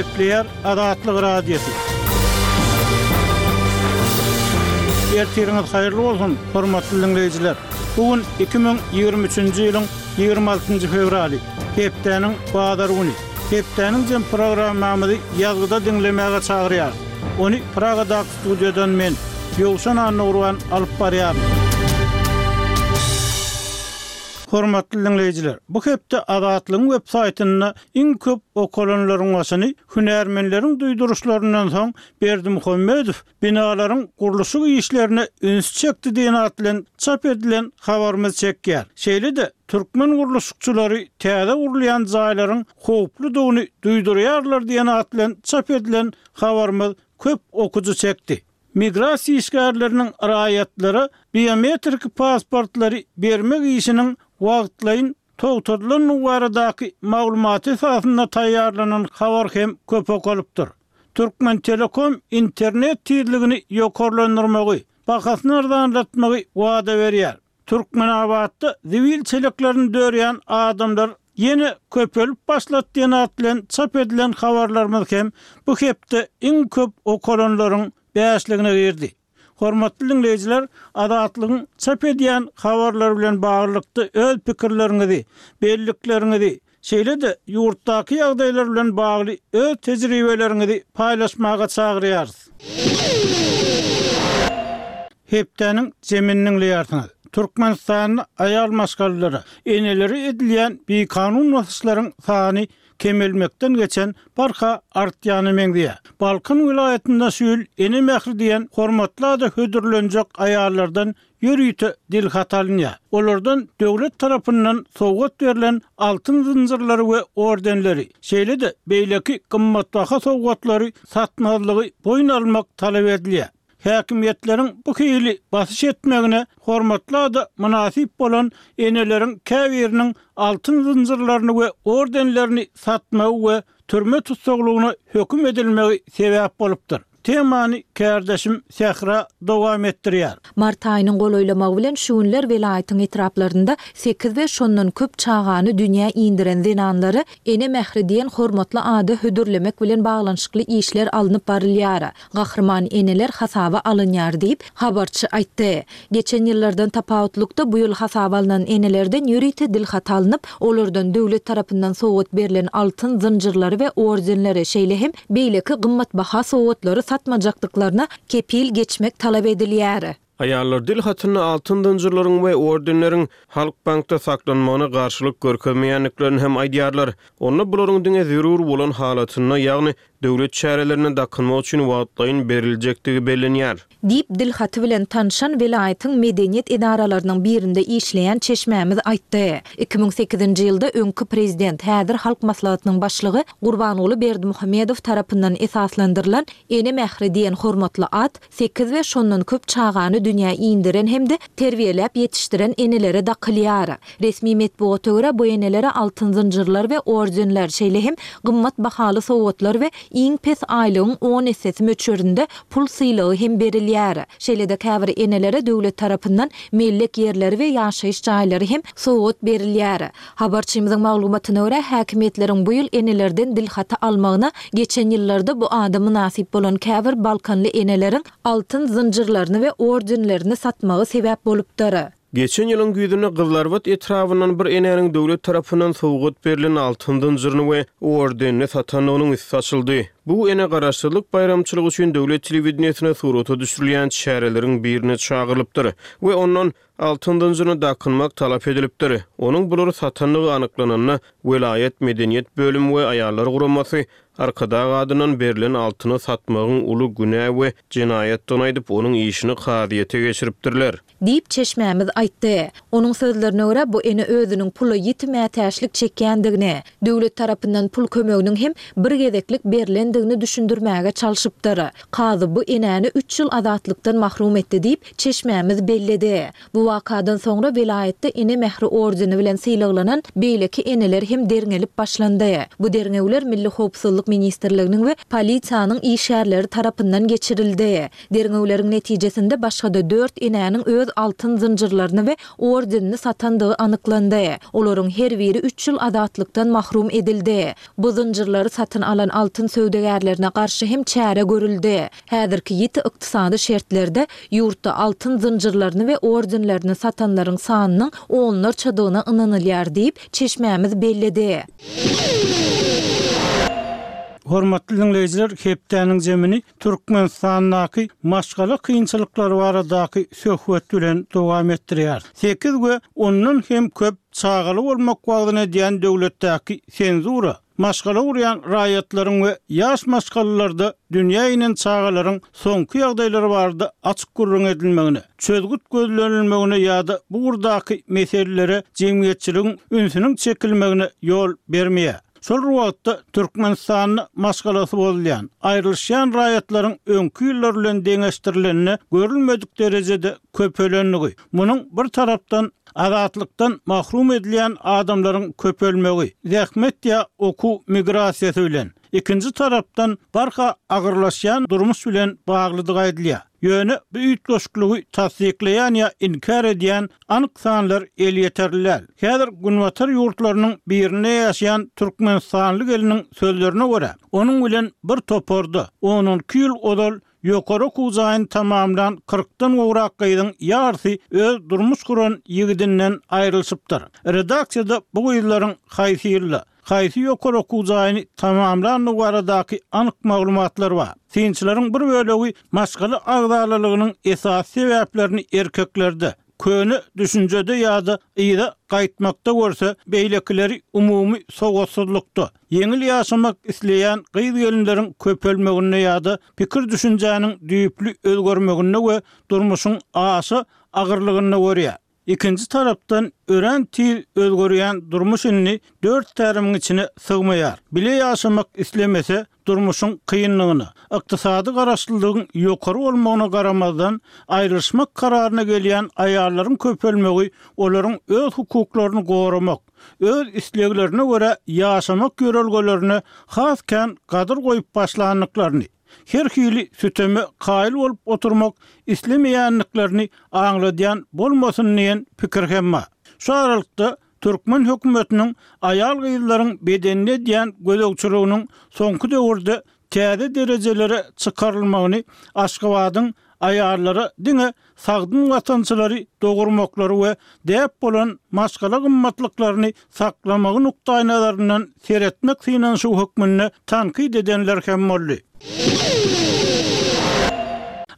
Gepleýär Azatlyk Radiosy. Ertiriňiz haýyrly bolsun, hormatly diňleýjiler! Bu gün 2023-nji ýylyň 26-njy fewraly, hepdäniň bazar güni. Hepdäniň jem programmamyzy ýazgyda diňlemäge çagyrýarys. Ony Pragadaky studiýadan men, Ýowşan Annagurban alyp barýaryn. Hormatly diňleýjiler, bu hepde Azatlygyň web saýtynda iň köp okalanlaryň başyny hünärmenleriň duýduryşlaryndan soň Berdimuhamedow binalaryň gurluşyk işlerine üns çekdi diýen at bilen çap edilen habarymyz çekýär. Şeýle-de, türkmen gurluşykçylary täze gurulýan jaýlaryň howpludygyny duýdurýarlar diýen at bilen çap edilen habarymyz köp okyjy çekdi. Migrasiýa işgärleriniň raýatlara biometrik pasportlary bermek işiniň wagtlaýyn togtadylandygy baradaky maglumat esasynda taýýarlanan habar hem köp okalypdyr. Türkmentelekom internet tizligini ýokarlandyrmagy, bahasyny arzanlatmagy wada berýär. Türkmenabatda zibil çeleklerini dörýän adamlar ýene köpelip başlady diýen at bilen çap edilen habarlarymyz hem bu hepde iň köp okalanlaryň bäşligine girdi. Hormatly diňleýjiler, Azatlygyň çap edýän habarlary bilen baglylykda öz pikirleriňizi, bellikleriňizi, şeýle-de ýurtdaky ýagdaýlar bilen bagly öz tejribeleriňizi paýlaşmaga çagyrýarys. Hepdäniň jemini diňleýärsiňiz. Türkmenistanda aýal maşgalalara, enelere edilýän bikanun basyşlaryň sany kemelmekden geçen barha artýana meňzeýär. Balkan welaýatynda şu ýyl Ene mähri diýen hormatly ada hödürlenjek aýallardan ýörite dilhat alynýar. Olardan döwlet tarapyndan sowgat berlen altyn zynjyrlary we ordenleri, şeýle-de beýleki gymmatbaha sowgatlary satmazlygy boýun almak talap edilýär. Häkimiýetleriň bu hili basyş etmegine hormatly ada mynasyp bolan eneleriň käbiriniň altyn zynjyrlaryny we ordenlerini satmagy we türme tussaglygyna höküm edilmegi sebäp bolupdyr. Temany kärdeşim Sähra dowam etdirýär. Mart aýynyň golaýlamagy bilen şu günler welaýatyň etraplarynda sekiz we şondan köp çagany dünýä indiren zenanlary Ene mähri diýen hormatly ada hödürlemek bilen baglanyşykly işler alnyp barylýar. Gahryman eneler hasaba alynýar diýip, habarçy aýtdy. Geçen ýyllardan tapawutlykda, bu ýyl hasaba alnan enelerden ýörite dilhaty alnyp, olardan döwlet tarapyndan sowgat berlen altyn zynjyrlary we ordenleri, şeýle hem beýleki gymmatbaha sowgatlary satmajakdyklaryna kepil geçmek talap edilýär. Aýallar dil hatynda altyn zynjyrlaryň we ordenleriň Halkbankda saklanmagyna garşylyk görkezmeýändiklerini hem aýdýarlar. Onda bularyň diňe zerur bolan halatynda, ýagny döwlet çärelerinde dakynmak üçin wagtlaýyn beriljekdigi bellenýär. Diýip, dil haty bilen tanşan welaýatyň medeniýet edaralarynyň birinde işleýän çeşmämiz aýtdy. 2008-nji ýylda öňki prezident, häzir Halk Maslahatynyň başlygy Gurbanguly Berdimuhamedow tarapyndan esaslandyrylan Ene mähri diýen hormatly at sekiz we şondan köp çagany dünýä indiren hem-de terbiýeläp ýetişdiren enelere dakylýar. Resmi metbugata görä, bu enelere altyn zynjyrlar we ordenler, şeýle hem gymmat bahaly sowgatlar we iň pes aýlygyň on essesi möçberinde pul sylagy hem berilýär. Şeýle-de käbir enelere döwlet tarapyndan mellek ýerleri we ýaşaýyş jaýlary hem sowgat berilýär. Habarçymyzyň maglumatyna görä, häkimiýetleriň bu ýyl enelerden dilhaty almagyna geçen ýyllarda bu ada mynasyp bolan käbir balkanly eneleriň altyn zynjyrlaryny we ordenlerini satmagy sebäp bolupdyr. Geçen ýylyň güýzünde Gyzylarbat etrabyndan bir enäniň döwlet tarapyndan sowgat berlen altyn zynjyryny we ordenini satandygynyň üsti açyldy. Bu ene Garaşsyzlyk baýramçylygy üçin döwlet telewideniýesine surata düşürilýän çäreleriň birine çagyrylypdyr we ondan Altyn zynjyryny dakynmak talap edilipdir. Onuň bulary satandygy anyklananda, welaýat medeniýet bölümi we aýallar guramasy Arkadag adyndan berlen altyny satmagyň uly günä we jenaýatdygyny aýdyp, onuň işini kazyýete geçiripdirler. Diýip, çeşmämiz aýtdy. Onuň sözlerine görä, bu ene özüniň pula ýiti mätäçlik çekýändigini, döwlet tarapyndan pul kömeginiň hem bir gezeklik berlendigini. edendigini düşündirmäge çalşypdyr. Kazy bu enäni üç ýyl azatlykdan mahrum etdi diýip, çeşmämiz belledi. Bu wakadan soňra welaýatda Ene mähri ordeni bilen sylaglanan beýleki eneler hem derňelip başlandy. Bu derňewler Milli howpsuzlyk ministrliginiň we polisiýanyň işgärleri tarapyndan geçirildi. Derňewleriň netijesinde başga-da dört enäniň öz altyn zynjyrlaryny we ordenini satandygy anyklandy. Olaryň her biri üç ýyl azatlykdan mahrum edildi. Bu zynjyrlary satyn alan altyn söwdagärlerine garşy hem çäre görüldi. Häzirki ýiti ykdysady şertlerde ýurtda altyn zynjyrlaryny we ordenlerini satanlaryň sanynyň onlarçadygyna ynanylýar diýip, çeşmämiz belledi. Hormatly diňleýjiler, hepdäniň jemini Türkmenistandaky maşgala kynçylyklary baradaky söhbet bilen dowam etdirýäris. Sekiz we ondan hem köp çagaly bolmak wagzyny edýän döwletdäki senzura, maşgala gurýan raýatlaryň we ýaş maşgalalarda dünýä inen çagalaryň soňky ýagdaýlary barada açyk gürrüň edilmegine, çözgüt gözlenilmegine ýa-da bu ugurdaky meselelere jemgyýetçiligiň ünsüniň çekilmegine ýol bermeýär. Şol bir wagtda, Türkmenistanda maşgalasy bozulýan, aýrylyşýan raýatlaryň öňki ýyllar bilen deňeşdirilende görülmedik derejede köpelendigi, munuň bir tarapdan, azatlykdan mahrum edilýän adamlaryň köpelmegi, zähmet ýa okuw migrasiýasy bilen, ikinji tarapdan, barha agyrlaşýan durmuş bilen baglydygy aýdylýar. Ýöne bu üýtgeşikligi tassyklaýan ýa inkär edýän anyk sanlar elýeterli däl. Häzir günbatar ýurtlarynyň birinde ýaşaýan türkmenistanly gelniň sözlerine görä, onuň bilen bir toparda on-on iki ýyl ozal ýokary okuw jaýyny tamamlan kyrkdan gowrak gyzyň ýarysy öz durmuş guran ýigidinden aýrylyşypdyr. Redaksiýada bu gyzlaryň haýsy ýylda, haýsy ýokary okuw jaýyny tamamlandygy baradaky anyk maglumatlar bar. Synçylaryň bir bölegi maşgala agzalalygynyň esasy sebäplerini erkeklerde, köne düşünjede ýa-da yza gaýtmakda görse, beýlekileri umumy sowatsyzlykda, ýeňil ýaşamak isleýän gyz-gelinleriň köpelmeginde ýa-da pikir-düşünjäniň düýpli özgermeginde we durmuşyň aşa agyrlygynda görýär. Ikinji tarapdan, örän tiz özgerýän durmuş indi dört tärimiň içine sygmaýar. Bile ýaşamak islemese, durmuşyň kynlygyna, ykdysady garaşlylygyň ýokary bolmagyna garamazdan, aýrylyşmak kararyna gelýän aýallaryň köpelmegi olaryň öz hukuklaryny goramak, öz isleglerine görä ýaşamak ýörelgelerine has kän gadyr goýup başlandyklaryny, her hili süteme kaýyl bolup oturmak islemeýändiklerini aňladýan bolmasyn diýen pikir hem bar. Şu aralykda, türkmen hökümetiniň aýal-gyzlaryň bedenine edýän gözegçiliginiň soňky döwürde täze derejelere çykarylmagyny Aşgabadyň aýallara diňe sagdyn watançylary dogurmaklary we däp bolan maşgala gymmatlyklaryny saklamagy nukdaýnazaryndan seretmek synanyşygy hökmünde tankyt edenler hem boldy.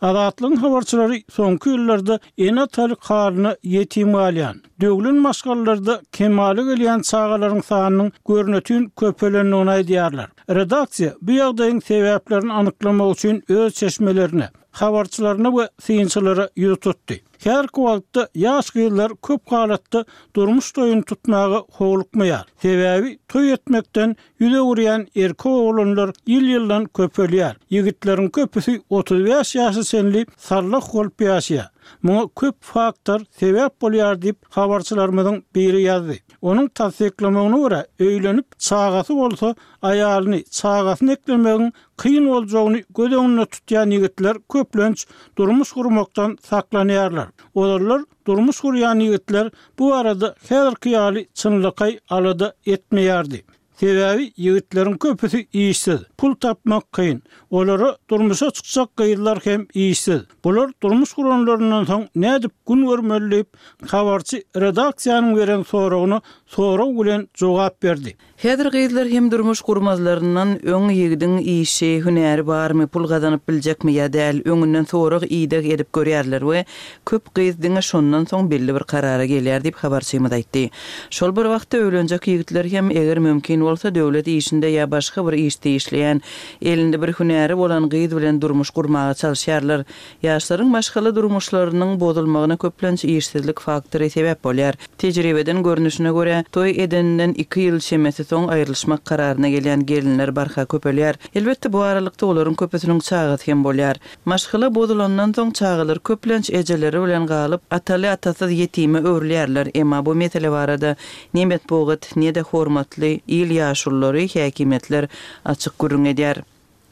Azatlygyň habarçylary soňky ýyllarda ene-atalyk halyna ýetim galýan, döwlen maşgalalarda kemala gelýän çagalaryň sanynyň görnetin köpelendigini aýdýarlar. Redaksiýa bu ýagdaýyň sebäplerini anyklamak üçin öz çeşmelerine, habarçylaryna we synçylara ýüz tutdy. Häzirki wagtda ýaş gyzlar köp halatda durmuş toýuny tutmaga howlukmaýar. Sebäbi toý etmekden ýüz öwürýän erkek oglanlar ýyl-ýyldan köpelýär. Ýigitleriň köpüsi 35 ýaşa çenli sallah bolup ýaşaýar. Muňa köp faktor sebäp bolýar diýip, habarçylarymyzyň biri ýazdy. Onuň tassyklamagyna görä, öýlenip, çagasy bolsa, aýalyny, çagasyny eklemegiň kyn boljagyny göz öňünde tutýan ýigitler köplenç durmuş gurmakdan saklanýarlar. Ozallar durmuş gurýan ýigitler bu barada häzirki ýaly çynlakaý alada etmeýärdi. Sebäbi ýigitleriň köpüsi işsiz, pul tapmak kyn. Olara durmuşa çykjak gyzlar hem işsiz. Bular durmuş guranlaryndan soň nädip gün görmeli diýip, habarçy redaksiýanyň beren soragyna sorag bilen jogap berdi. Häzir gyzlar hem durmuş gurmazlaryndan öň ýigidiň işi, hünäri barmy, pul gazanyp biljekmi ýa däl, öňünden sorag-ideg edip görýärler we köp gyz diňe şondan soň belli bir karara gelýär diýip, habarçymyz aýtdy. Şol bir wagtda öýlenjek ýigitler hem, eger mümkin. bolsa döwlet işinde ýa başga bir işde işleýän, elinde bir hünäri bolan gyz bilen durmuş gurmaga çalyşýarlar. Ýaşlaryň maşgala durmuşlarynyň bozulmagyna köplenç işsizlik faktory sebäp bolýar. Tejribeden görnüşine görä, toý edeninden iki ýyl çemesi soň aýrylyşmak kararyna gelýän gelinler barha köpelýär. Elbetde, bu aralykda olaryň köpüsiniň çagasy hem bolýar. Maşgala bozulandan soň çagalar köplenç ejeleri bilen galyp, ataly-atasyz ýetime öwrülýärler. Emma bu mesele barada ne metbugat, ne-de hormatly il ýaşululary, häkimiýetler açyk gürrüň edýär.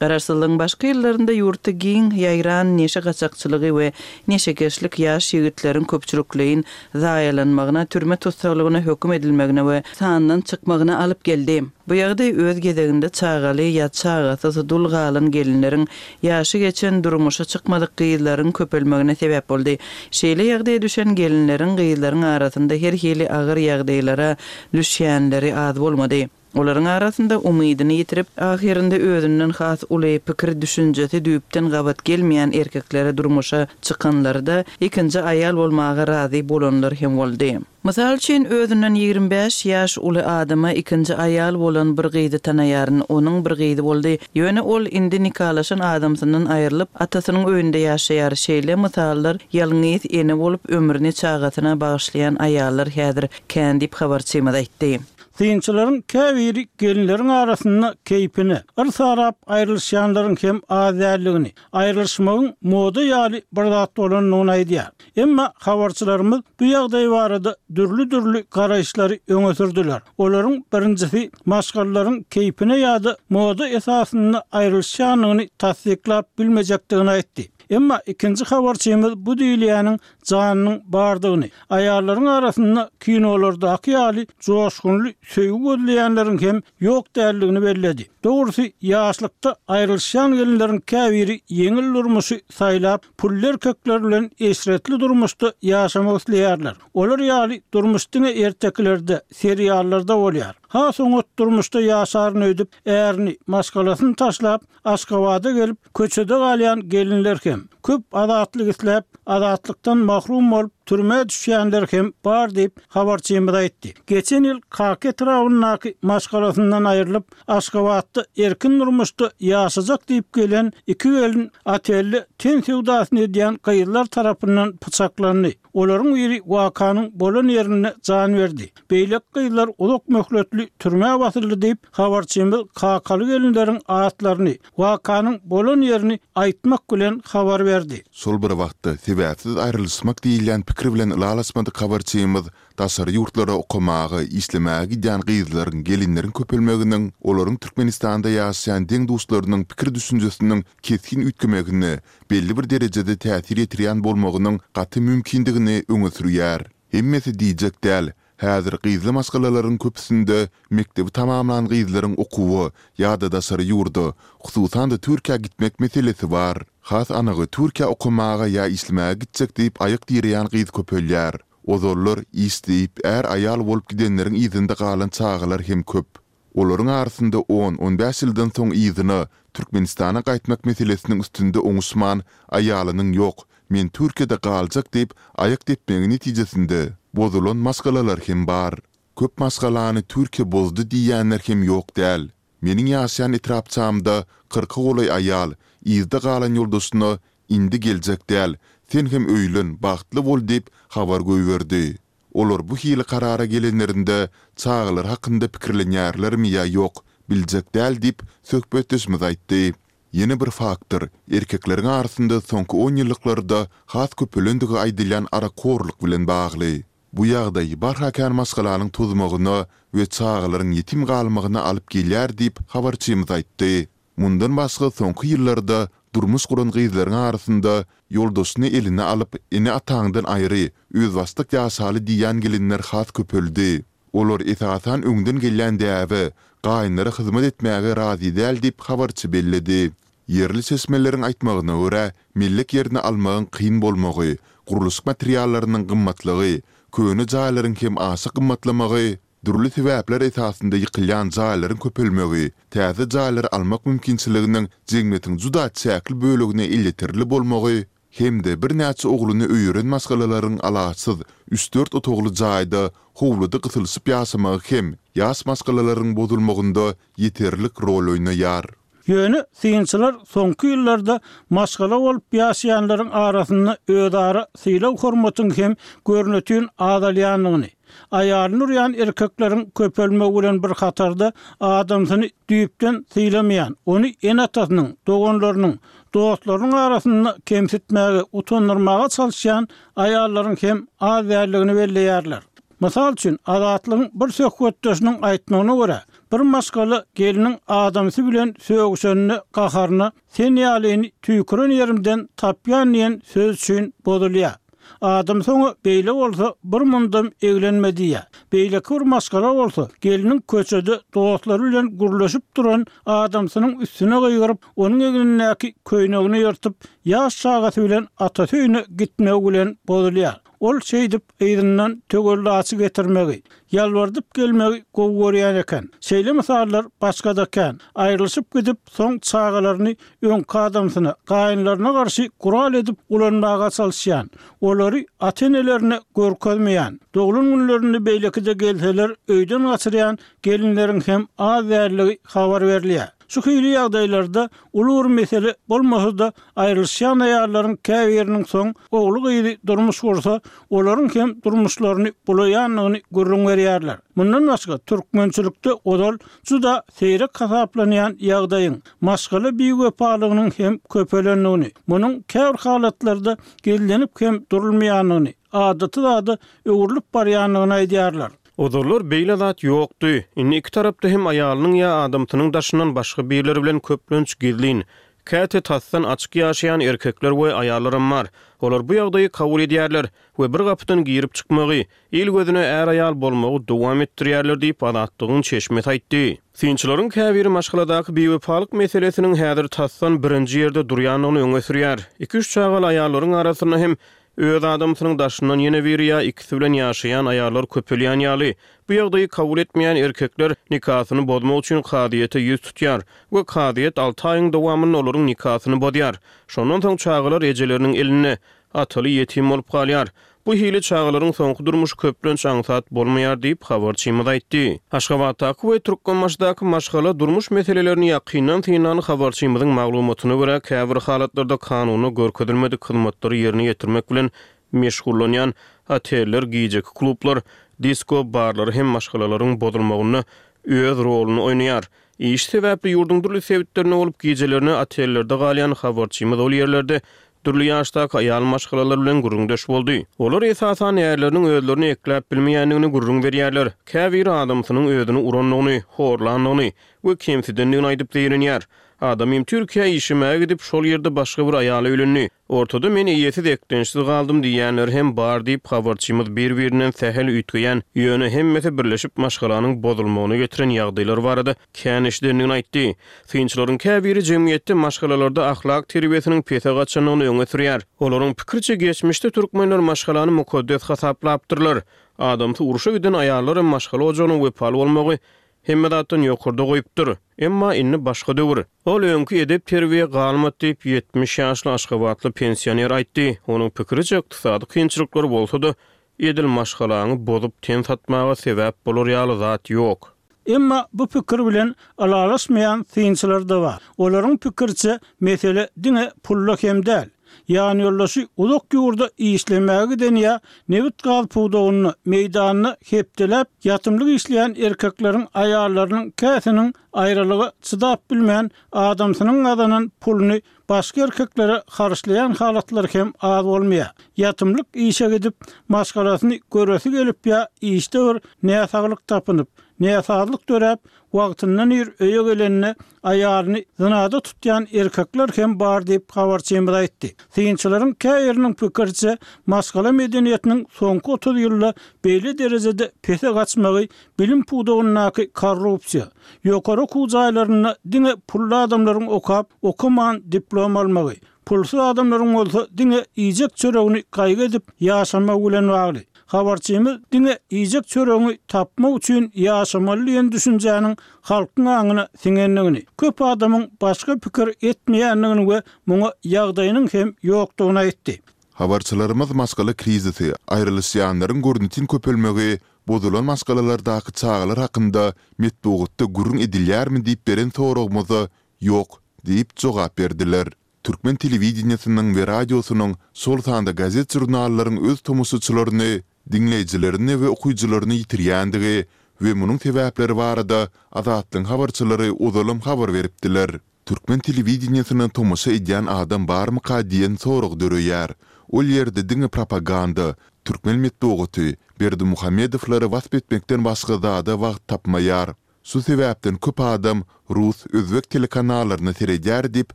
Garaşsyzlygyň başky ýyllarynda ýurtda giň ýaýran neşe gaçakçylygy we neşekeşlik ýaş ýigitleriň köpçülikleýin zaýalanmagyna, türme tussaglygyna höküm edilmegine we sandan çykmagyna alyp geldi. Bu ýagdaý öz gezeginde çagaly ýa çagasyz dul galan gelinleriň, ýaşy geçen, durmuşa çykmadyk gyzlaryň köpelmegine sebäp boldy. Şeýle ýagdaýa düşen gelinleriň, gyzlaryň arasynda her hili agyr ýagdaýlara düşýänleri az bolmady. Olaryň arasynda umydyny ýitirip, ahyrynda özünden has uly, pikir-düşünjesi düýpden gabat gelmeýän erkeklere durmuşa çykanlary-da, ikinji aýal bolmaga razy bolanlar hem boldy. Mysal üçin, özünden 25 ýaş uly adama ikinji aýal bolan bir gyzy tanaýaryn. Onuň bir gyzy boldy. Ýöne ol indi nikalaşan adamsyndan aýrylyp, atasynyň öýünde ýaşaýar. Şeýle mysallar ýalňyz ene bolup, ömrüni çagasyna bagyşlaýan aýallar häzir kän diýip, habarçymyz aýtdy. Synçylaryň käbiri gelinleriň arasynda keýpine, yrs arap aýrylyşýanlaryň hem az däldigini, aýrylyşmagyň moda ýaly bir zat bolandygyny aýdýar. Emma habarçylarymyz bu ýagdaý barada dürli-dürli garaýyşlary öňe sürdüler. Olaryň birinjisi maşgalalaryň keýpine ýa-da moda esasynda aýrylyşýandygyny tassyklap bilmejekdigini aýtdy. Emma ikinji habarçymyz bu diýilýäniň janynyň bardygyny, aýallaryň arasynda kinolardaky ýaly joşgunly söýgi gözleýänleriň hem ýok däldigini belledi. Dogrusy, ýaşlykda aýrylyşýan gelinleriň käbiri ýeňil durmuşy saýlap, pully erkekler bilen eşretli durmuşda ýaşamak isleýärler. Olar ýaly durmuş diňe ertekilerde, seriallarda bolýar. Has oňat durmuşda ýaşaryn öýdüp, ärini, maşgalasyny taşlap, Aşgabada gelip, köçede galýan gelinler hem, köp azatlyk isläp, azatlykdan mahrum bolup, türmä düşýänler hem bar diýip, habarçymyz aýtdy. Geçen ýyl Kaka etrabyndaky maşgalasyndan aýrylyp, Aşgabatda erkin durmuşda ýaşajak diýip gelen iki gelin otelde ten söwdasyny edýän gyzlar tarapyndan pyçaklandy. Olaryň biri wakanyň bolan ýerinde jan berdi. Beýleki gyzlar uzak möhletli türmä basyldy diýip, habarçymyz kakaly gelinleriň atlaryny, wakanyň bolan ýerini aýtmak bilen habar berdi. Şol bir wagtda, sebäpsiz aýrylyşmak diýilýän pikir bilen ylalaşmadyk habarçymyz daşary ýurtlara okamaga, işlemäge gidýän gyzlaryň, gelinleriň köpelmeginiň olaryň Türkmenistanda ýaşaýan deň-duşlarynyň pikir-düşünjesiniň kesgin üýtgemegine belli bir derejede täsir ýetirýän bolmagynyň gaty mümkindigini öňe sürýär. Hemmesi diýjek däl, häzir gyzly maşgalalaryň köpüsinde mekdebi tamamlan gyzlaryň okuwa ýa-da daşary ýurda, hususan-da Türkiýä gitmek meselesi bar. Has anygy Türkiýä okamaga ýa işlemäge gitjek diýip aýak direýän gyz köpelýär. Ozallar iş diýip är-aýal bolup gidenleriň yzynda galan çagalar hem köp. Olaryň arasynda on, on bäş ýyldan soň yzyna, Türkmenistana gaýtmak meselesiniň üstünde oňuşman, aýalynyň ýok, men Türkiýede galjak diýip aýak depmegi netijesinde, bozulan maşgalalar hem bar. Köp maşgalany Türkiýe bozdy diýýänler hem ýok däl. Meniň ýaşaýan etrapçamda kyrka golaý aýal, yzda galan ýoldaşyna indi geljek däl, sen hem öýlen, bagtly bol diýip habar goýberdi. Olar bu hili karara gelenlerinde çagalary hakynda pikirlenýärlermi ýa ýok, biljek däl diýip, söhbetdeşimiz aýtdy. Ýene bir faktor, erkekleriň arasynda soňky onýyllyklarda has köpelendigi aýdylýan arakhorluk bilen bagly. Bu ýagdaý barha kän maşgalanyň tozmagyna we çagalaryň ýetim galmagyna alyp gelýär diýip, habarçymyz aýtdy. Mundan başga soňky ýyllarda durmuş guran gyzlaryň arasynda ýoldaşyny eline alyp, ene-ataňdan aýry, özbaşdak ýaşaly diýýän gelinler has köpeldi. Olar esasan öňden gelýän däbe, gaýynlara hyzmat etmäge razy däl diýip habarçy belledi. Ýerli çeşmeleriň aýtmagyna görä, mellek ýerini almagyň kyn bolmagy, gurluşyk materiallarynyň gymmatlygy, köne jaýlaryň hem aşa gymmatlamagy Dürli sebäpler esasynda ýykylýan jaýlaryň köpelmegi, täze jaýlary almak mümkinçiliginiň jemgyýetiň juda çäkli bölegine elýeterli bolmagy hem-de birnäçe ogluny öýeren maşgalalaryň alaçsyz üç-dört otagly jaýda howluda gysylyşyp ýaşamagy hem. ýaş maşgalalaryň bozulmagynda ýeterlik rol oýnaýar. Ýöne synçylar soňky ýyllarda maşgala bolup ýaşaýanlaryň arasynda özara sylag-hormatyň hem görnetin azalýandygyny, aýalyny urýan erkekleriň köpelmegi bilen bir hatarda adamsyny düýpden sylamaýan, ony ene-atasynyň, doganlarynyň, dostlarynyň arasynda kemsitmäge, utandyrmaga çalyşýan aýallaryň hem az däldigini belleýärler. Mysal üçin, Azatlygyň bir söhbetdeşiniň aýtmagyna görä, bir maşgala gelniň adamsy bilen sögüşende gaharyna Sen ýalyny tüýküren ýerimden tapýan diýen söz üçin bozulýar. Adamsy oňa beýle bolsa bir mundam eglenme diýýär. Beýleki bir maşgala bolsa gelniň köçede dostlary bilen gürleşip duran adamsynyň üstüne gygyryp, onuň egnindäki köýnegini ýyrtyp, ýaş çagasy bilen atasy öýüne gitmegi bilen bozulýar. Ol şeýdip yzyndan töwellaçy getirmegi, ýalbardyp gelmegi gowy görýän eken. Şeýle mysallar başga-da kän. Aýrylyşyp gidip, soň çagalaryny öňki adamsyna, gaýynlaryna garşy gural edip ulanmaga çalyşýan, olary ata-enelerine görkezmeýän, doglan günlerinde beýlekide gelseler öýden gaçyrýan gelinleriň hem az däldigi habar berilýär. Şu hili ýagdaýlarda uly bir mesele bolmasa-da, aýrylyşýan aýallaryň käbiriniň soň ogly-gyzy durmuş gursa, olaryň hem durmuşlaryny bulaýandygyny gürrüň berýärler. Mundan başga, türkmençilikde ozal juda seýrek hasaplanýan ýagdaýyň, maşgala biwepalygynyň hem köpelendigini, munuň käbir halatlarda gizlenip hem durulmaýandygyny, adaty zada öwrülip barýandygyny aýdýarlar. Ozallar beýle zat ýokdy. Indi iki tarapda hem aýalynyň ýa adamsynyň daşyndan başga birleri bilen köplenç gizlin, käte tasdan açyk ýaşaýan erkekler we aýallaram bar. Olar bu ýagdaýy kabul edýärler we bir gapydan girip çykmagy, il gözüne är-aýal bolmagy dowam etdirýärler diýip, Azatlygyň çeşmesi aýtdy. Synçylaryň käbiri maşgaladaky biwepalyk meselesiniň häzir tasdan birinji ýerde durýandygyny öňe sürýär. Iki-üç çagaly aýallaryň arasynda hem Öz adamsynyň daşyndan ýene biri ýa ikisi bilen ýaşaýan aýallar köpelýän ýaly, bu ýagdaýy kabul etmeýän erkekler nikasyny bozmak üçin kazyýete ýüz tutýar we kazyýet alty aýyň dowamynda olaryň nikasyny bozýar. Şondan soň çagalar ejeleriniň elinde, ataly ýetim bolup galýar. Bu hili çagalaryň soňky durmuşy köplenç aňsat bolmaýar diýip, habarçymyz aýtdy. Aşgabatdaky we Türkmenbaşydaky maşgala, durmuş meselelerini ýakyndan synlan habarçymyzyň maglumatyna görä, käbir halatlarda kanunda görkezilmedik hyzmatlary ýerine ýetirmek bilen meşgullanýan oteller, gijeki klublar, disko barlary hem maşgalalaryň bozulmagynda öz roluny oýnaýar. Iş sebäpli ýurduň dürli sebitlerinde bolup, gijelerine otellerde galýan habarçymyz ol ýerlerde dürli ýaşdaky aýal maşgalalar bilen gürrüňdeş boldy. Olar esasan ärleriniň özlerini ekläp bilmeýändigini gürrüň berýärler. Käbiri adamsynyň özüni urandygyny, horlandygyny we kemsidendigini aýdyp zeýrenýär. Adamym Türkiýä işlemäge gidip, şol ýerde başga bir aýala öýlendi. Ortada men eýesiz, eklençsiz galdym diýýänleri hem bar diýip, habarçymyz bir-birinden sähel üýtgeýän, ýöne hemmesi birleşip maşgalanyň bozulmagyna getiren ýagdaýlar barada kän eşidendigini aýtdy. Synçylaryň käbiri jemgyýetde maşgalalarda ahlak terbiýesiniň pese gaçandygyny öňe sürýär. Olaryň pikiriçe, geçmişde türkmenler maşgalany mukaddes hasaplapdyrlar. Adamsy urşa giden aýallar hem maşgala ojagyna wepaly bolmagy hemme zatdan ýokarda goýupdyr. Emma indi başga döwür. Ol öňki edep-terbiýe galmady diýip, 70 ýaşly aşgabatly pensioner aýtdy. Onuň pikiriçe, ykdysady kynçylyklar bolsa-da, edil maşgalaňy bozup ten satmaga sebäp bolar ýaly zat ýok. Emma bu pikir bilen ylalaşmaýan synçylar-da bar. Olaryň pikiriçe, mesele diňe pulda hem däl. Ýanýoldaşy uzak ýurda işlemäge giden ýa nebit-gaz pudagynda, meýdanda hepdeläp ýatymlyk işleýän erkekleriň aýallarynyň käsiniň aýralyga çydap bilmän, adamsynyň gazanan puluny başga erkeklere harçlaýan halatlary hem az bolmaýar. Ýatymlyk işe gidip, maşgalasyny göresi gelip ýa işde bir näsaglyk tapynyp, näsazlyk döräp, wagtyndan ir öýe gelende aýalyny zynada tutýan erkekler hem bar diýip, habarçymyz aýtdy. Synçylaryň käbiriniň pikiriçe, maşgala medeniýetiniň soňky 30 ýylda beýle derejede pese gaçmagy bilim pudagyndaky korrupsiýa, Ýokary okuw jaýlarynda diňe pully adamlaryň okap, okaman diplom almagy, pulsuz adamlaryň bolsa diňe iýjek çöregini gaýgy edip ýaşamagy bilen bagly. Habarçymyz diňe iýjek çöregiňi tapmak üçin ýaşamaly diýen düşünjäniň halkyň aňyna siňendigini, köp adamyň başga pikir etmeýändigini we muňa ýagdaýynyň hem ýokdugyny aýtdy. Habarçylarymyz maşgala krizisi, aýrylyşýanlaryň görnetin köpelmegi. Bozulan maşgalalardaky çagalar hakynda metbugatda gürrüň edilýärmi diýip beren soragymyza Ýok diýip jogap berdiler. Türkmen telewideniýesiniň we radiosynyň, şol sanda gazet-žurnallaryň öz tomaşaçylaryny, diňleýjilerini we okyjylaryny ýitirýändigi we munuň sebäpleri barada Azatlygyň habarçylary ozalam habar beripdiler. Türkmen telewideniýesine tomaşa edýän adam barmyka diýen sorag döreýär. Ol ýerde diňe propaganda, türkmen metbugaty Berdimuhamedowlary wasp etmekden başga zada wagt tapmaýar. Şu sebäpden köp adam rus, özbek telekanallaryna seredýär diýip,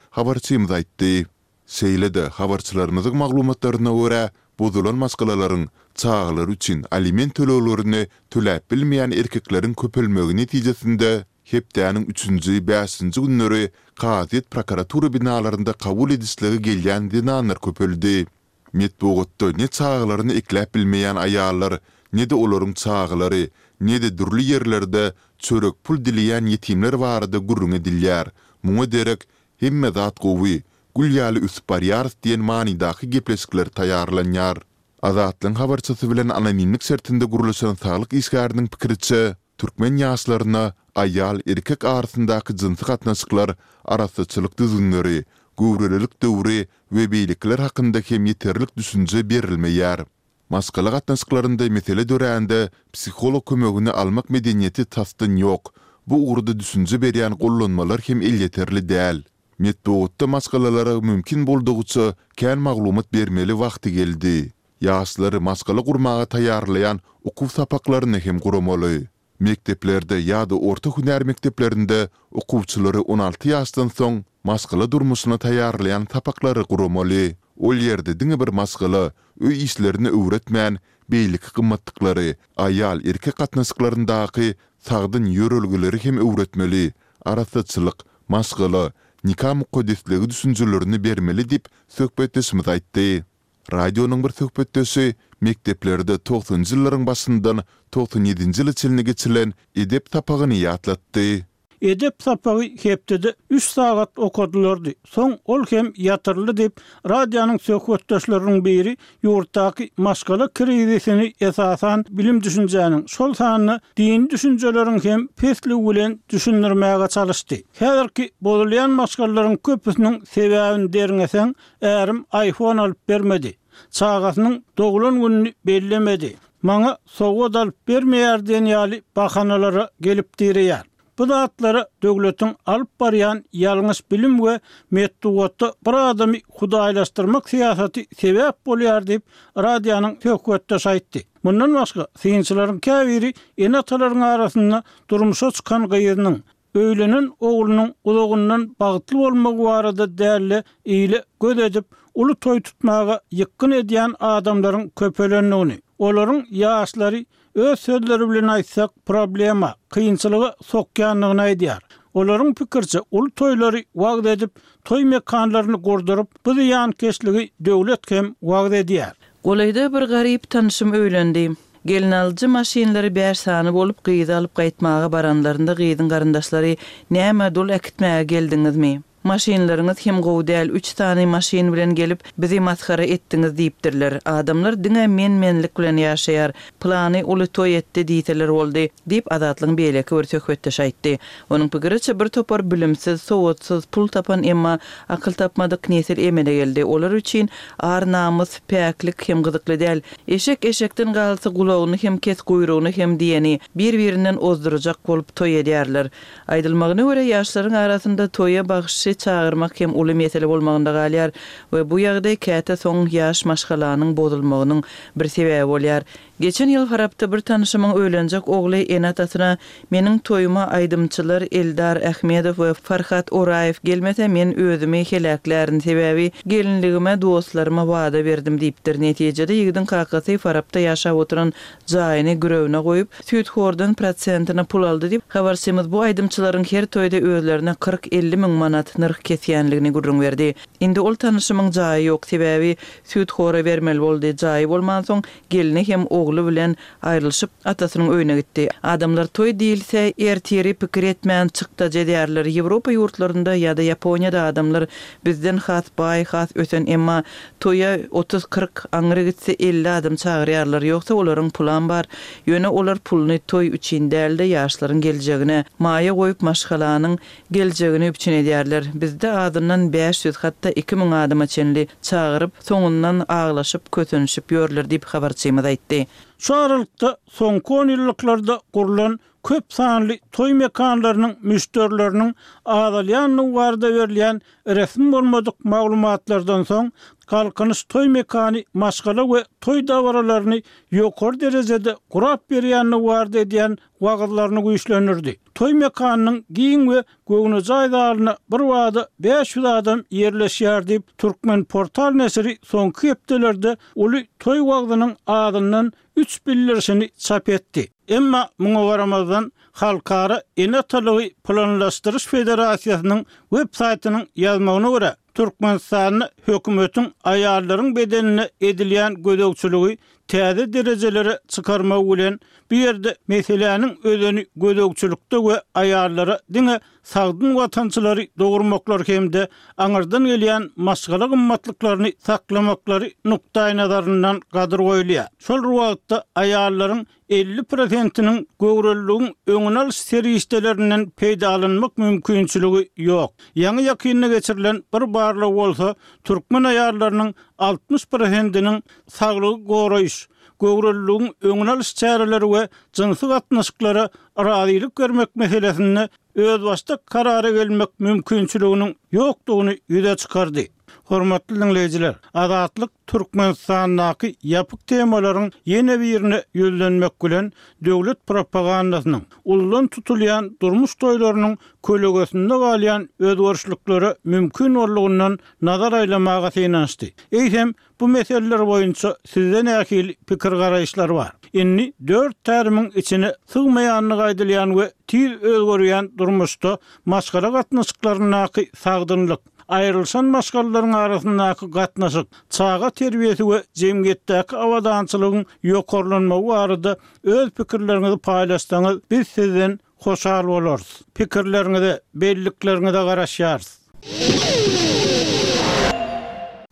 habarçymyz aýtdy. Şeýle-de, habarçylarymyzyň maglumatlaryna görä, bozulan maşgalalaryň çagalary üçin aliment töleglerini töläp bilmeýän erkekleriň köpelmegi netijesinde, hepdäniň üçünji, bäşinji günleri kazyýet prokuratura binalarynda kabul edişlige gelýän zenanlar köpeldi. Metbugatda ne çagalaryny ekläp bilmeýän aýallar, ne-de olaryň çagalary, ne-de dürli ýerlerde çörek pul dileýän ýetimler barada gürrüň edilýär. Muňa derek, hemme zat gowy, gül ýaly ösüp barýarys diýen manydaky gepleşikler taýýarlanýar. Azatlygyň habarçysy bilen anonimlik şertinde gürleşen saglyk işgäriniň pikiriçe, Türkmen ýaşlaryna aýal, erkek arasyndaky jynsy gatnaşyklar, arassaçylyk düzgünleri, göwrelilik döwri we beýlekiler hakynda hem ýeterlik düşünje berilmeýär. Maşgala gatnaşyklarynda mesele dörände psiholog kömegini almak medeniýeti tasdan ýok, bu ugurda düşünje berýän gollanmalar hem elýeterli däl. Metbugatda maşgalalara mümkin boldugyça kän maglumat bermeli wagty geldi. Ýaşlary maşgala gurmaga taýýarlaýan okuw sapaklaryny hem guramaly. Mekdeplerde ýa-da orta hünär mekdeplerinde okuwçylary 16 ýaşdan soň maşgala durmuşyna taýýarlaýan sapaklary guramaly. Ol ýerde diňe bir maşgala, öý işlerini öwretmän, beýleki gymmatlyklary, aýal-erkek gatnaşyklaryndaky sagdyn ýörelgeleri hem öwretmeli, arassaçylyk, maşgala, nika mukaddesligi düşünjelerini bermeli diýip, söhbetdeşimiz aýtdy. Radionyň bir söhbetdeşi mekdeplerde togsanynjy ýyllaryň başyndan 97 nji ýyla çenli geçilen edep sapagyny ýatlatdy. Edep sapagy hepdede üç sagat okadylardy, soň ol hem ýatyryldy diýip, radionyň söhbetdeşleriniň biri ýurtdaky maşgala krizisini esasan bilim-düşünjäniň, şol sanda dini düşünjeleriň hem pesligi bilen düşündirmäge çalyşdy. Häzirki bozulýan maşgalalaryň köpüsiniň sebäbini derňeseň, Ärim iPhone alyp bermedi. Çagasynyň doglan gününi bellemedi. Maňa sowgat alyp bermeýär diýen ýaly bahanalara gelip direýär. Bu zatlara döwletiň alyp barýan ýalňyş bilim we metbugatda bir adamy hudaýlaşdyrmak syýasaty sebäp bolýar diýip, radionyň söhbetdeşi aýtdy. Mundan başga, synçylaryň käbiri ene-atalaryň arasynda durmuşa çykan gyzynyň, Öýlenen oglunyň uzagyndan bagtly bolmagy barada däl-de, ile göz edip, uly toý tutmaga ýykgyn edýän adamlaryň köpelendigini, olaryň ýaşlary, öz sözleri bilen aýtsak, problema, kynçylyga sokýandygyny aýdýar. Olaryň pikiriçe, uly toýlary wagyz edip, toý mekanlaryny gurduryp, bu zyýankeşligi döwlet hem wagyz edýär. Golaýda bir garyp tanşym öýlendi. Gelnalyjy maşynlary bäş sany bolup, gyzy alyp gaýtmaga baranlarynda gyzyň garyndaşlary, Näme, dul äkitmäge geldiňizmi? Maşynlaryňyz hem gowy däl, üç sany maşyn bilen gelip, bizi masgara etdiňiz diýipdirler. Adamlar diňe men-menlik bilen ýaşaýar. Pylany uly toý etdi diýseler boldy, diýip, Azatlygyň beýleki bir söhbetdeşi aýtdy. Onuň pikiriçe, bir topar bilimsiz, sowatsyz, pul tapan, emma akyl tapmadyk nesil emele geldi. Olar üçin ar-namys, päklik hem gyzykly däl. Eşek eşekden galsa gulagyny hem kes guýrugyny hem diýeni, bir-birinden ozdurjak bolup toý edýärler. Aýdylmagyna görä ýaşlaryň arasynda toýa bagşy çagyrmak hem uly mesele bolmagynda galýar we bu ýagdaý käte soň ýaş maşgalanyň bozulmagynyň bir sebäbi bolýar. Geçen ýyl Farapda bir tanyşymyň öýlenjek ogly ene-atasyna Meniň toýuma aýdymçylar Eldar Ahmedow we Farhat Oraýew gelmese men özümi heläklärin sebäbi gelinligime dostlaryma wada berdim diýipdir. Netijede ýigidiň kakasy Farapda ýaşap oturan jaýyny girewine goýup, süýthordan prosentine pul aldy diýip, habarçymyz bu aýdymçylaryň her toýda özlerine 40-50 müň manat nyrh kesýänligini gürrüň berdi. Indi ol tanyşymyň jaýy ýok sebäbi süýthora bermeli boldy jaýy bolmansoň gelni hem ogly. ogly bilen aýrylyşyp, atasynyň öýüne gitdi. Adamlar toý diýilse, ertiri pikir etmän çykdajy edýärler. Ýewropa ýurtlarynda ýa-da Ýaponiýada adamlar bizden has baý, has ösen, emma toýa otuz-kyrk, aňry gitse 50 adam çagyrýarlar. Ýogsa olaryň pulam bar. Ýöne olar puluny toý üçin däl-de, ýaşlaryň geljegine maýa goýup, maşgalanyň geljegini üpjün edýärler. Bizde azyndan 500, hatda 2000 adama çenli çagyryp, soňundan aglaşyp, kösenişip ýörler diýip, habarçymyz aýtdy. Şu aralykda, soňky onýyllyklarda gurlan köp sanly toý mekanlarynyň müşderileriniň azalýandygy barada berilýän resmi bolmadyk maglumatlardan soň, Galkynyş toý mekany maşgala we toý dabaralaryny ýokary derejede gurap berýändigi barada edýän wagyzlaryny güýçlendirdi. Toý mekanynyň giň we göwnejaý zalyna birbada 500 adam ýerleşýär diýip, Turkmenportal neşiri soňky hepdelerde uly toý wagzynyň azyndan üç bildirişini çap etdi. Emma muňa garamazdan, Halkara ene-atalygy planlaşdyryş federasiýasynyň web saýtynyň ýazmagyna görä, Türkmenistanda hökümetiň aýallaryň bedenine edilýän gözegçiligi täze derejelere çykarmagy bilen, bu ýerde meseläniň özeni gözegçilikde we aýallara diňe sagdyn watançylary dogurmaklary hem-de aňyrdan gelýän maşgala gymmatlyklaryny saklamaklary nukdaýnazaryndan gadyr goýulýar. Şol bir wagtda aýallaryň 50 prosentiniň göwreliligiň öňüni alyş serişdelerinden peýdalanmak mümkinçiligi ýok. Ýaňy-ýakynda geçirilen bir barlag bolsa türkmen aýallarynyň 60 prosentiniň saglygy goraýyş, göwreliligiň öňüni alyş çäreleri we jynsy gatnaşyklara razylyk bermek meselesinde özbaşdak karara gelmek mümkinçiliginiň ýokdugyny ýüze çykardy. Hormatly diňleýjiler, Azatlyk Türkmenistandaky ýapyk temalaryň ýene birine ýüzlenmek bilen, döwlet propagandasynyň, uludan tutulýan durmuş toýlarynyň kölegesinde galýan özgerişliklere mümkin boldugyndan nazar aýlamaga synanyşdy. Eýsem, Bu meseleler boýunça sizde nähili pikir-garaýyşlar bar? Indi dört tärimiň içine sygmaýandygy aýdylýan we tiz özgerýän durmuşda maşgala gatnaşyklaryndaky sagdynlyk, aýrylyşan maşgalalaryň arasyndaky gatnaşyk, çaga terbiýesi we jemgyýetdäki abadançylygyň ýokarlanmagy barada öz pikirleriňizi paýlaşsaňyz, biz sizden Hoşal bolarys. Pikirleriňize, bellikleriňize garaşýarys.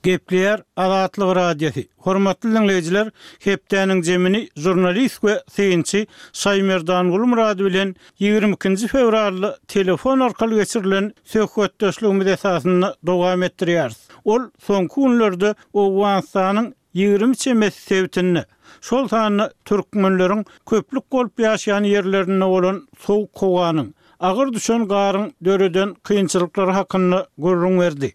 Gepleýär Azatlyk Radiosy. Hormatly diňleýjiler, hepdäniň jemini žurnalist we synçy Şaýmerdan Gulmyrady bilen 22-nji fewralda telefon arkaly geçirilen söhbetdeşligimiz esasynda dowam etdirýäris. Ol soňky günlerde Owganystanyň 20 çemesi sebitinde, şol sanda türkmenleriň köplük bolup ýaşaýan ýerlerinde bolan sowuk howanyň, agyr düşen garyň döreden kynçylyklary hakynda gürrüň berdi.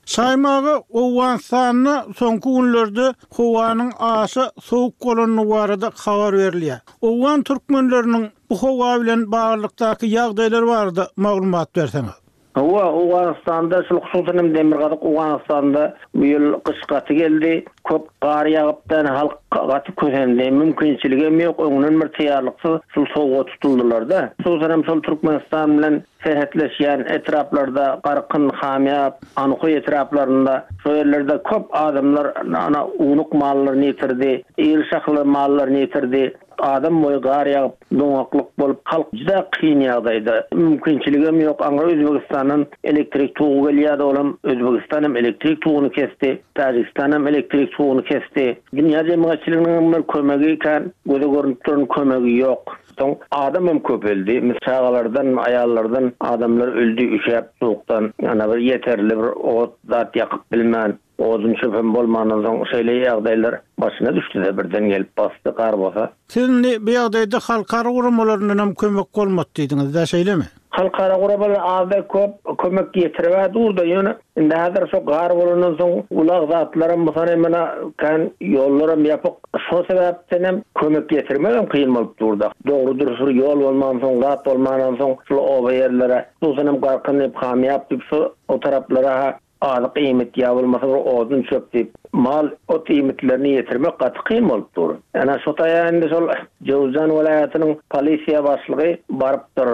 Şaýym aga, Owganystanda soňky günlerde howanyň aşa sowuk bolandygy barada habar berilýär. Owgan türkmenleriniň bu howa bilen baglylykdaky ýagdaýlar barada maglumat berseňiz. Hawa, Owganystanda, şul hususan hem Demirgazyk Owganystanda bu ýyl gyş gaty geldi. Köp gar ýagypdan halk gaty kösendi. Mümkinçiligem ýok, öňünden bir taýýarlyksyz şul sowuga tutuldylar-da. Hususan hem şol Türkmenistan bilen serhetleşýän etraplarda, Garkyn, Hamýap, Anhoý etraplarynda, şo ýerlerde köp adamlar ana ownuk mallaryny ýitirdi, iri şahly mallaryny ýitirdi. Adam boýy gar ýagyp, doňaklyk bolup, halk juda kyn ýagdaýda. Mümkinçiligem ýok. Aňry Özbegistandan elektrik togy gelýärdi, olam Özbegistan hem elektrik toguny kesdi, Täjigistan hem elektrik toguny kesdi. Dünýä jemgyýetçiliginiňem bir kömegi kän göze görnüp duran kömegi ýok. Soň adam hem köpeldi. Çagalardan, aýallardan adamlar öldi üşäp sowukdan. Ýa bir ýeterli bir ot zat ýakyp bilmän. Odun çöpem bolmandan soň şeýle ýagdaýlar başyna düşdüde birden gelip basdy gar bolsa. Siz indi bu ýagdaýda halkara guramalaryndan hem kömek bolmady diýdiňiz-dä şeýlemi? Halkara guramalar azda köp kömek ýetiribä durda ýöne indi häzir şo gar bolandan soň ulag zatlaram musanem mena kän ýollaram ýapyk şo sebäpdenem kömek ýetirmegem kyn bolup durda dogry dürs bir ýol bolmansoň zat bolmandan soň şul oba ýerlere hususanam Garkyn diýip Hamyýap diýip şo o taraplara ha. azyk iýmit ýa bolmasa bir odun çöp diýip mal ot iýmitlerini ýetirmek gaty kyn bolup dur. Ene şo taýa indi şol Jöwüzjan welaýatynyň polisiýa başlygy barypdyr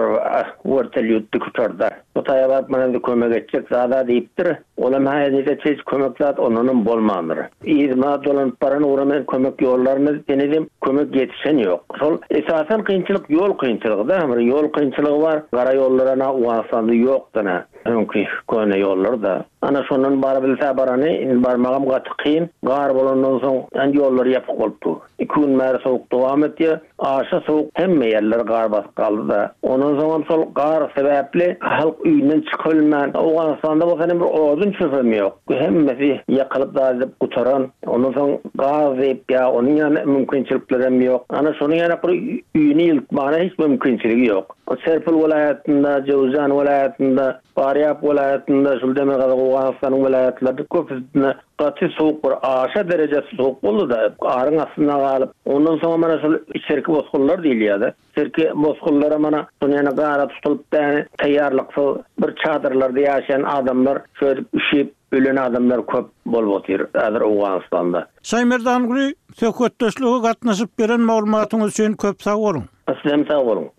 wertolýot dikuçarda. Şo taýa baryp mana indi kömek etjek zada diýipdir. Olam hä indi hiç kömek zat ondanam bolmandyr. Yzyma dolanyp baran ugra men kömek ýollaryn henizem kömek ýetişen ýok. Şol esasan kynçylyk ýol kynçylygy-da. Bir ýol kynçylygy bar. Gara ýollar-a Owganystanda ýokdan-a. Öňki köne ýollar-da. Ana şondan barabilse barany, indi barmagam gaty kyn. Gar bolandan soň ýollar ýapyk bolup dur. Iki gün bäri sowuk dowam etýär. Aşa sowuk hemme ýerleri gar basyp galdy-da. Ondan soňam şol gar sebäpli halk öýünden çykybilmän, Owganystanda bolsa indi bir odun çöpem ýok. Hemmesi ýakylyp zat edip gutaran. Ondan soň gaz diýip ýa onuň ýaly mümkinçiliklerem ýok. Ana şonuň ýaly bir öýüni ýyltmaga hiç mümkinçiligi ýok. Serpil welaýatynda, Jöwüzjan welaýatynda, Farýap welaýatynda, şul Demirgazyk Owganystanyň welaýatlarynda köpüsinde Gaty sowuk bir aşa dereje sowuk boldy-da, garyň astynda galyp, ondan soňam ana şol içerki bosgunlar diýilýär-de, içerki bosgunlaram ana şol ýene gara tutulyp däni taýýarlyksyz bir çadyrlarda ýaşaýan adamlar şöýdüp üşüp ölen adamlar köp bolup otyr häzir Owganystanda. Şaýmerdanguly, söhbetdeşlige gatnaşyp beren maglumatyňyz üçin köp sag boluň! Sizem sag boluň!